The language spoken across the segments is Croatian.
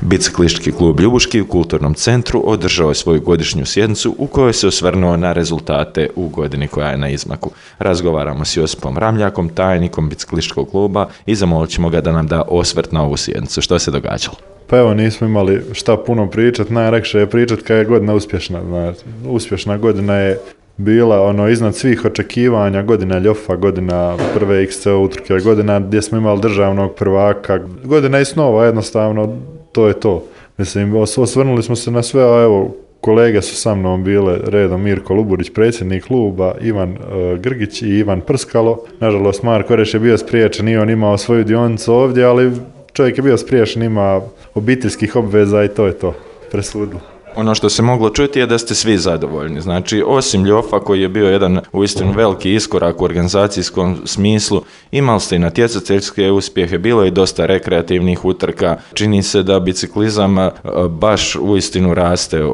Biciklistički klub Ljubuški u Kulturnom centru održao je svoju godišnju sjednicu u kojoj se osvrnuo na rezultate u godini koja je na izmaku. Razgovaramo s Josipom Ramljakom, tajnikom biciklističkog kluba, i zamolit ćemo ga da nam da osvrt na ovu sjednicu. Što se događalo? Pa evo, nismo imali šta puno pričati, najlakše je pričati kada je godina uspješna. Uspješna godina je bila iznad svih očekivanja, godina Ljofa, godina prve XCO utrke, godina gdje smo imali državnog prvaka, godina i snova, jednostavno to je to. Mislim, osvrnuli smo se na sve, a evo, kolege su sa mnom bile redom Mirko Luburić, predsjednik kluba, Ivan Grgić i Ivan Prskalo. Nažalost, Marko Reš je bio spriječen i on imao svoju dionicu ovdje, ali čovjek je bio spriječen, ima obiteljskih obveza i to je to, presudilo. Ono što se moglo čuti je da ste svi zadovoljni. Znači, osim Ljofa koji je bio jedan uistinu veliki iskorak u organizacijskom smislu, imali ste i natjecateljske uspjehe, bilo je dosta rekreativnih utrka. Čini se da biciklizam baš uistinu raste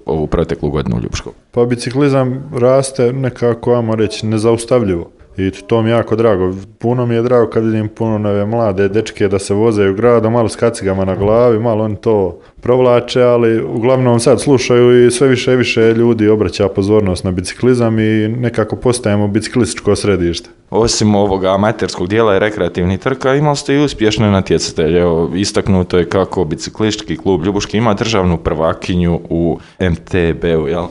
ovu proteklu godinu u Ljubuškom. Pa biciklizam raste nekako, ajmo reći, nezaustavljivo. I to mi je jako drago. Puno mi je drago kad vidim puno nove mlade dečke da se voze u gradu, malo s kacigama na glavi, malo oni to provlače, ali uglavnom sad slušaju i sve više i više ljudi obraća pozornost na biciklizam i nekako postajemo biciklističko središte. Osim ovoga amaterskog dijela i rekreativnih trka, imali ste i uspješne natjecatelje. Istaknuto je kako biciklistički klub Ljubuški ima državnu prvakinju u MTB-u, jel?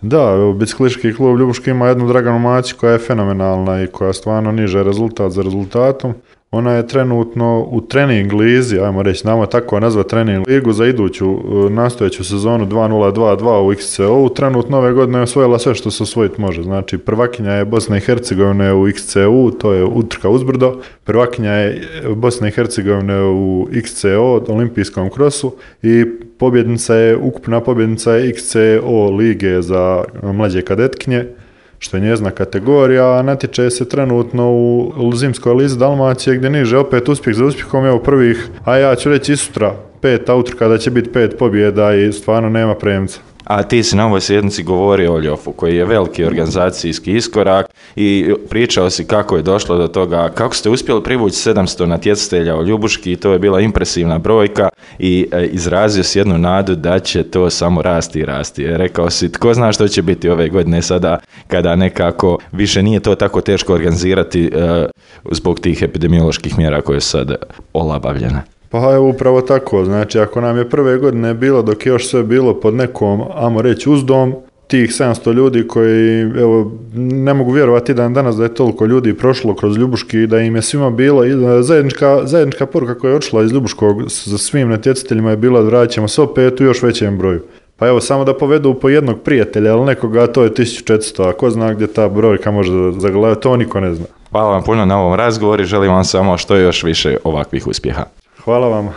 Da, biciklistički klub Ljubuški ima jednu Draganu Macić koja je fenomenalna i koja stvarno niže rezultat za rezultatom. Ona je trenutno u trening lizi, ajmo reći, znamo tako nazvati trening ligu za iduću nastojeću sezonu 2022 u XCO. Trenutno ove godine je osvojila sve što se osvojiti može. Znači, prvakinja je Bosna i Hercegovine u XCO, to je utrka uzbrdo. Prvakinja je Bosna i Hercegovine u XCO, olimpijskom krosu, i ukupna pobjednica je XCO lige za mlađe kadetkinje, što je njezina kategorija, a natječe se trenutno u zimskoj lizi Dalmacije, gdje niže opet uspjeh za uspjehom, evo prvih, a ja ću reći i sutra, 5 utrka da će biti 5 pobjeda i stvarno nema premca. A ti si na ovoj sjednici govorio o Ljofu, koji je veliki organizacijski iskorak, i pričao si kako je došlo do toga, kako ste uspjeli privući 700 natjecatelja u Ljubuški, i to je bila impresivna brojka, i izrazio si jednu nadu da će to samo rasti i rasti. Rekao si, tko zna što će biti ove godine sada, kada nekako više nije to tako teško organizirati zbog tih epidemioloških mjera koje su sad olabavljene. Pa evo, upravo tako, znači ako nam je prve godine bilo, dok je još sve bilo pod nekom, ajmo reći, uzdom, tih 700 ljudi koji, evo, ne mogu vjerovati danas da je toliko ljudi prošlo kroz Ljubuški i da im je svima bilo, zajednička poruka koja je odšla iz Ljubuškog za svim natjecateljima je bila da vratit ćemo se opet u još većem broju. Pa evo, samo da povedu po jednog prijatelja, ali nekoga, to je 1400, a ko zna gdje ta brojka može zagledati, to niko ne zna. Hvala vam puno na ovom razgovoru i želim vam samo što još više ovakvih uspjeha. Hvala vam.